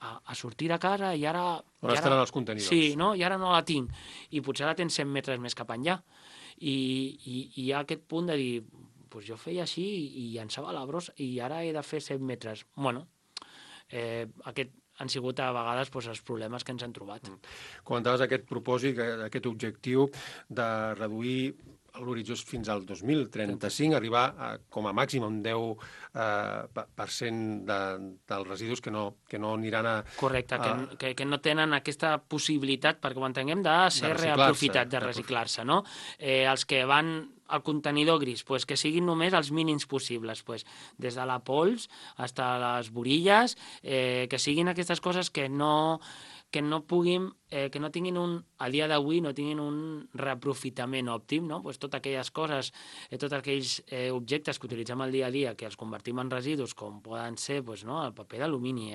F: a sortir de casa i ara...
E: On estaran els contenidors?
F: Sí, no? I ara no la tinc. I potser la tens 100 metres més cap enllà. I hi ha aquest punt de dir, jo feia així i llançava la brossa i ara he de fer 100 metres. Bueno, han sigut a vegades els problemes que ens han trobat.
E: Comentaves aquest propòsit, aquest objectiu de reduir l'horitzó fins al 2035, arribar com a màxim a un 10% dels residus que no aniran a...
F: Correcte, que no tenen aquesta possibilitat, perquè ho entenguem, de ser reaprofitat, de reciclar-se, no? Els que van al contenidor gris, que siguin només els mínims possibles, des de la pols fins a les borilles, que siguin aquestes coses que no tinguin a dia d'avui no tinguin un reaprofitament òptim, no? Totes aquelles coses, tots aquells objectes que utilitzem al dia a dia, que els convertim en residus, com poden ser el paper d'alumini,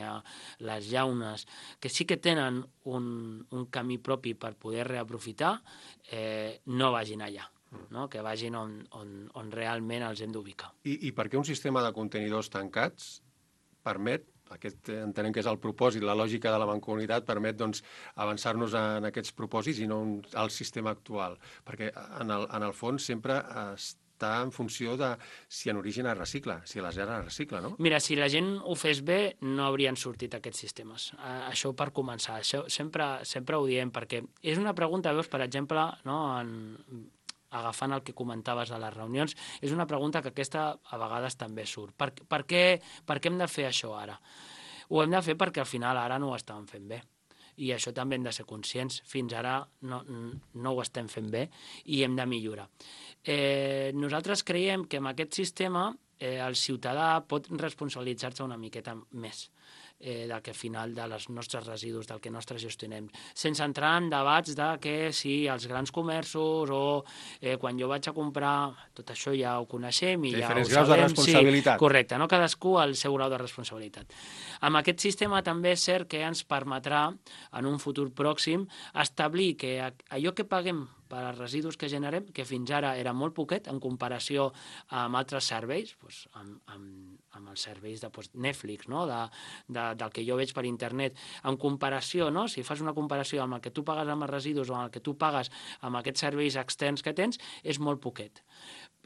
F: les llaunes, que sí que tenen un camí propi per poder reaprofitar, no vagin allà. No? Que vagin on realment els hem d'ubicar.
E: I per què un sistema de contenidors tancats permet, entenem que és el propòsit, la lògica de la mancomunitat, permet avançar-nos en aquests propòsits i no al sistema actual? Perquè en el fons sempre està en funció de si en origen es recicla, si la llar es recicla, no?
F: Mira, si la gent ho fes bé, no haurien sortit aquests sistemes. Això per començar. Això sempre ho diem, perquè és una pregunta, veus, per exemple, no, agafant el que comentaves a les reunions, és una pregunta que aquesta a vegades també surt. Per què hem de fer això ara? Ho hem de fer perquè al final ara no ho estàvem fent bé. I això també hem de ser conscients. Fins ara no ho estem fent bé i hem de millorar. Nosaltres creiem que amb aquest sistema el ciutadà pot responsabilitzar-se una miqueta més del que al final dels nostres residus, del que nostres gestionem, sense entrar en debats de que si els grans comerços o quan jo vaig a comprar, tot això ja ho coneixem i ja ho sabem.
E: Diferents graus de responsabilitat.
F: Sí, correcte, no? Cadascú al seu grau de responsabilitat. Amb aquest sistema també és cert que ens permetrà en un futur pròxim establir que allò que paguem per als residus que generem, que fins ara era molt poquet en comparació amb altres serveis, amb els serveis de Netflix, no? Del que jo veig per internet, en comparació, no? Si fas una comparació amb el que tu pagues amb els residus o amb el que tu pagues amb aquests serveis externs que tens, és molt poquet.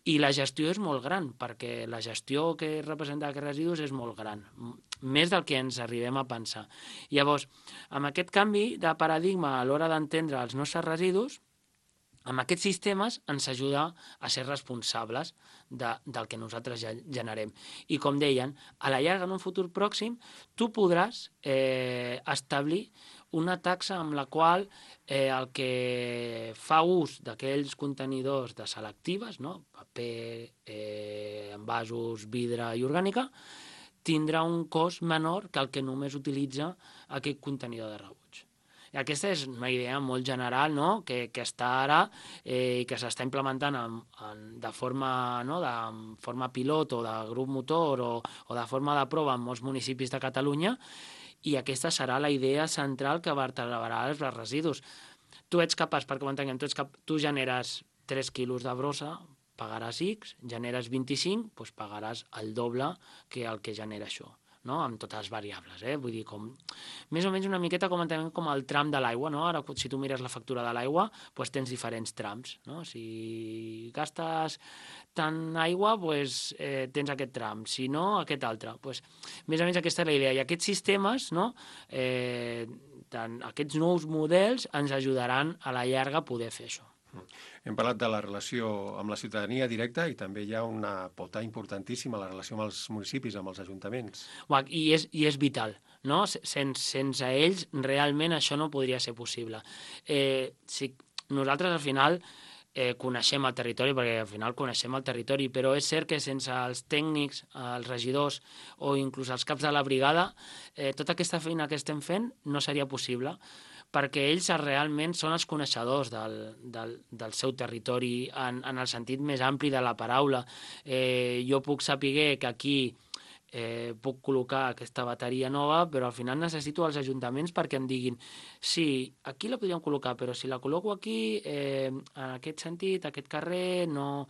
F: I la gestió és molt gran, perquè la gestió que representa aquests residus és molt gran, més del que ens arribem a pensar. Llavors, amb aquest canvi de paradigma a l'hora d'entendre els nostres residus, amb aquests sistemes ens ajuda a ser responsables del que nosaltres generem. I com deien, a la llarga, en un futur pròxim, tu podràs establir una taxa amb la qual el que fa ús d'aquells contenidors de selectives, no? Paper, envasos, vidre i orgànica, tindrà un cost menor que el que només utilitza aquest contenidor de rebuig. I aquesta és una idea molt general, no? que està ara i que s'està implementant de forma pilot o de grup motor o de forma de prova en molts municipis de Catalunya, i aquesta serà la idea central que vertebrarà els residus. Tu ets capaç, perquè ho entenguem, tu generes 3 quilos de brossa, pagaràs X, generes 25, doncs pagaràs el doble que el que genera això. No? Amb totes les variables, vull dir, més o menys una miqueta com entenem com el tram de l'aigua, no? Ara, si tu mires la factura de l'aigua, doncs tens diferents trams, no? Si gastes tant aigua, doncs tens aquest tram, si no, aquest altre. Doncs, més o menys aquesta és la idea. I aquests sistemes, no? Aquests nous models ens ajudaran a la llarga a poder fer això.
E: Hem parlat de la relació amb la ciutadania directa i també hi ha una pota importantíssima, la relació amb els municipis, amb els ajuntaments.
F: I és vital, no? Sense ells realment això no podria ser possible. Si nosaltres al final coneixem el territori, perquè al final coneixem el territori, però és cert que sense els tècnics, els regidors o inclús els caps de la brigada, tota aquesta feina que estem fent no seria possible, perquè ells realment són els coneixedors del seu territori en el sentit més ampli de la paraula. Jo puc saber que aquí puc col·locar aquesta bateria nova, però al final necessito els ajuntaments perquè em diguin sí, aquí la podríem col·locar, però si la col·loco aquí, en aquest sentit, aquest carrer, no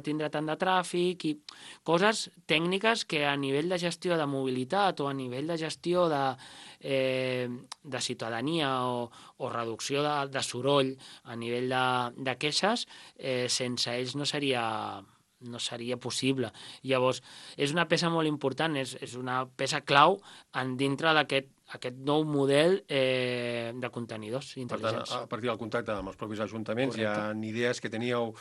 F: tindrà tant de tràfic, i coses tècniques que a nivell de gestió de mobilitat o a nivell de gestió de ciutadania o reducció de soroll a nivell de queixes, sense ells no seria possible. Llavors, és una peça molt important, és una peça clau dintre d'aquest nou model de contenidors intel·ligents.
E: Per tant, a partir del contacte amb els propis ajuntaments, correcte, hi ha idees que teníeu,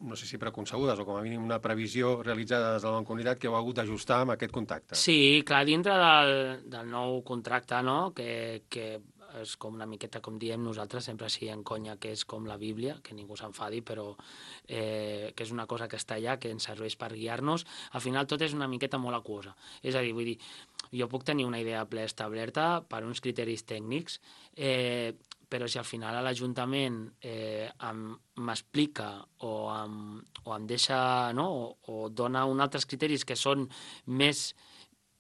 E: no sé si preconcebudes o com a mínim una previsió realitzada des de la Mancomunitat que heu hagut d'ajustar amb aquest contacte.
F: Sí, clar, dintre del nou contracte, no?, que és com una miqueta, com diem nosaltres, sempre així en conya, que és com la Bíblia, que ningú s'enfadi, però que és una cosa que està allà, que ens serveix per guiar-nos. Al final tot és una miqueta molt aquosa. És a dir, vull dir, jo puc tenir una idea establerta per uns criteris tècnics, però si al final a l'Ajuntament m'explica o em deixa, no?, o dona uns altres criteris que són més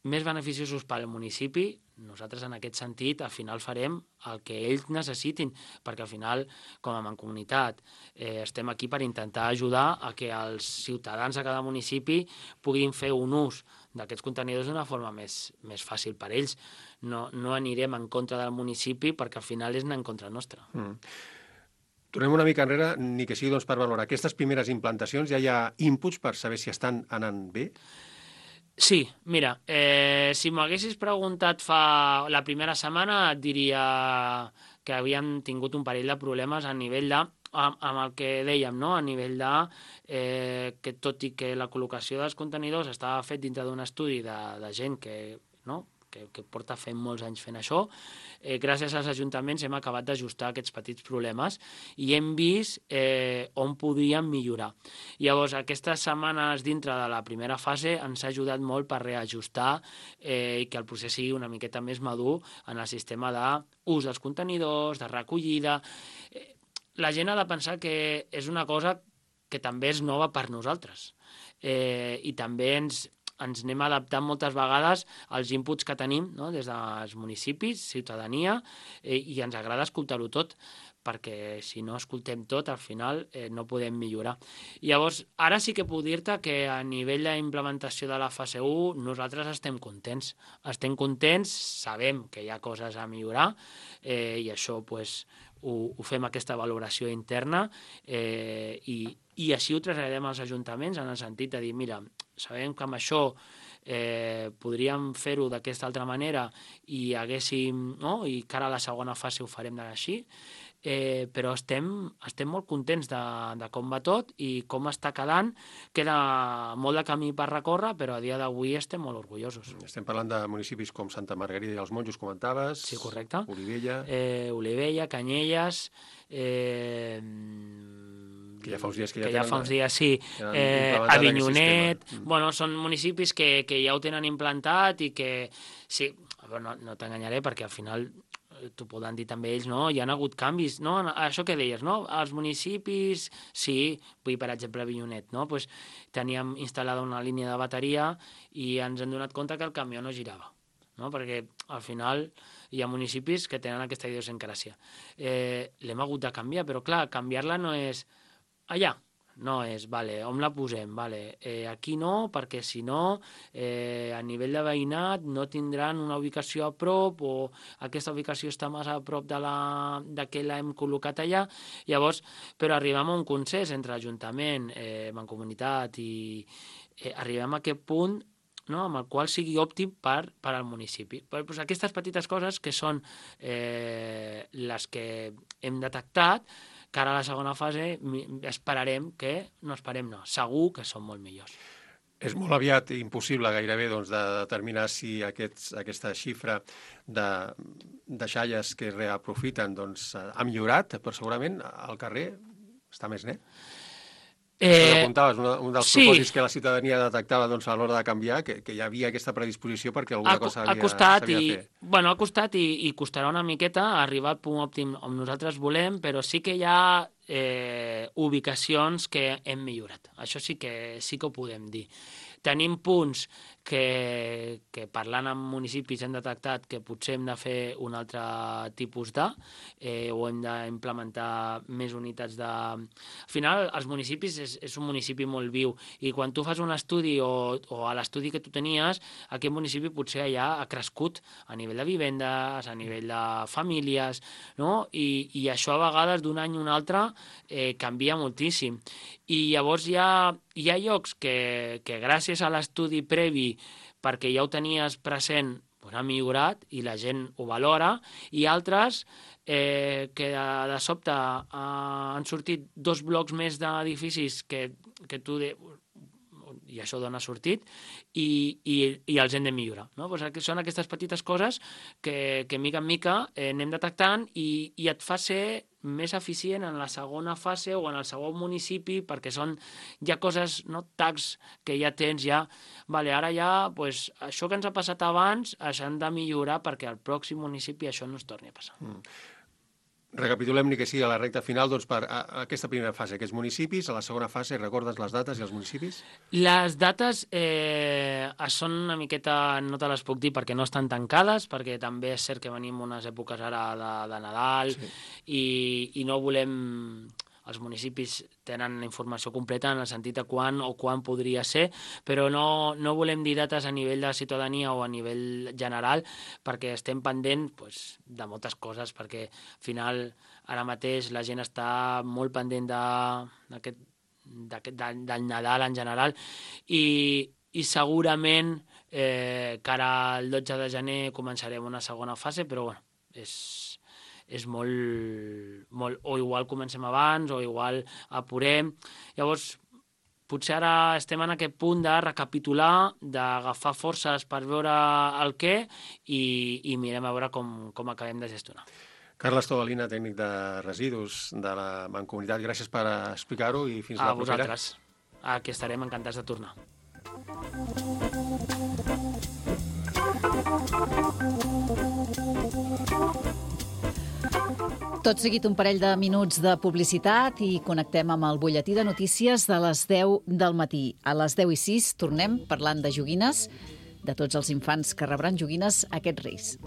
F: beneficiosos per al municipi, nosaltres en aquest sentit al final farem el que ells necessitin, perquè al final com a Mancomunitat estem aquí per intentar ajudar a que els ciutadans de cada municipi puguin fer un ús d'aquests contenidors d'una forma més fàcil per ells. No anirem en contra del municipi perquè al final és anar en contra nostra.
E: Tornem una mica enrere, ni que sigui per valorar. Aquestes primeres implantacions ja hi ha inputs per saber si estan anant bé?
F: Sí, mira, si m'ho haguessis preguntat la primera setmana et diria que havíem tingut un parell de problemes a nivell amb el que dèiem, no?, a nivell que tot i que la col·locació dels contenidors estava fet dintre d'un estudi de gent que porta fent molts anys fent això, gràcies als ajuntaments hem acabat d'ajustar aquests petits problemes i hem vist on podríem millorar. Llavors, aquestes setmanes dintre de la primera fase ens ha ajudat molt per reajustar i que el procés sigui una miqueta més madur en el sistema d'ús dels contenidors, de recollida. La gent ha de pensar que és una cosa que també és nova per nosaltres i també ens anem adaptant moltes vegades als inputs que tenim, no?, des dels municipis, ciutadania, i ens agrada escoltar-ho tot, perquè si no escoltem tot, al final no podem millorar. Llavors, ara sí que puc dir-te que a nivell d'implementació de la fase 1 nosaltres estem contents. Estem contents, sabem que hi ha coses a millorar i això ho fem aquesta valoració interna i així ho traslladem als ajuntaments en el sentit de dir, mira, sabem que amb això podríem fer-ho d'aquesta altra manera i haguéssim, no?, i que ara a la segona fase ho farem així, però estem molt contents de com va tot i com està quedant. Queda molt de camí per recórrer, però a dia d'avui estem molt orgullosos.
E: Estem parlant de municipis com Santa Margarida i els Monjos, comentaves.
F: Sí, correcte.
E: Olivella,
F: Canyelles,
E: que ja fa uns dies
F: sí, Avinyonet. Bueno, són municipis que ja ho tenen implantat i que, sí, no t'enganyaré perquè al final t'ho poden dir també ells, no? Hi ha hagut canvis, no? Això que deies, no? Els municipis, sí, vull per exemple Avinyonet, no? Pues teníem instal·lada una línia de bateria i ens hem donat compte que el camió no girava, no? Perquè al final hi ha municipis que tenen aquesta idiosincràsia. L'hem hagut de canviar, però clar, canviar-la no és allà, no és, vale, on la posem? Vale, aquí no, perquè si no, a nivell de veïnat no tindran una ubicació a prop o aquesta ubicació està massa a prop de que l'hem col·locat allà. Llavors, però arribem a un consens entre Ajuntament, Mancomunitat i arribem a aquest punt, no?, amb el qual sigui òptim per al municipi. Pues aquestes petites coses que són les que hem detectat, que ara a la segona fase segur que són molt millors.
E: És molt aviat impossible gairebé de determinar si aquesta xifra de deixalles que es reaprofiten ha millorat, però segurament al carrer està més net? Apuntaves, un dels propòsits que la ciutadania detectava a l'hora de canviar, que hi havia aquesta predisposició perquè alguna cosa s'havia de fer.
F: Ha costat i costarà una miqueta arribar al punt òptim on nosaltres volem, però sí que hi ha ubicacions que hem millorat. Això sí que ho podem dir. Tenim punts que parlant amb municipis hem detectat que potser hem de fer un altre tipus o hem d'implementar més unitats de... Al final, els municipis és un municipi molt viu i quan tu fas un estudi o a l'estudi que tu tenies, aquest municipi potser ja ha crescut a nivell de vivendes, a nivell de famílies, no? I això a vegades d'un any a un altre canvia moltíssim. I llavors hi ha llocs que gràcies a l'estudi previ, perquè ja ho tenies present, ha millorat i la gent ho valora, i altres que de sobte han sortit 2 blocs més d'edificis que tu... i això d'on ha sortit, i els hem de millorar. No? Són aquestes petites coses que mica en mica anem detectant i et fa ser més eficient en la segona fase o en el segon municipi, perquè són ja coses, tags que ja tens, ara ja, això que ens ha passat abans, això hem de millorar perquè al pròxim municipi això no es torni a passar.
E: Recapitulem ni que sigui a la recta final per aquesta primera fase, aquests municipis, a la segona fase, recordes les dates i els municipis? Les dates
F: són una miqueta, no te les puc dir perquè no estan tancades, perquè també és cert que venim unes èpoques ara de Nadal i no volem... Els municipis tenen la informació completa en el sentit de quan podria ser, però no volem dir dates a nivell de ciutadania o a nivell general perquè estem pendents de moltes coses, perquè al final ara mateix la gent està molt pendent del Nadal en general i segurament cara al 12 de gener començarem una segona fase, però és molt... O igual comencem abans, o igual apurem. Llavors, potser ara estem en aquest punt de recapitular, d'agafar forces per veure el què i mirem a veure com acabem de gestionar.
E: Carles Tobalina, tècnic de residus de la Mancomunitat, gràcies per explicar-ho i fins la propera.
F: A vosaltres. Aquí estarem encantats de tornar.
B: Tot seguit un parell de minuts de publicitat i connectem amb el butlletí de notícies de les 10 del matí. A les 10:06 tornem parlant de joguines, de tots els infants que rebran joguines aquests Reis.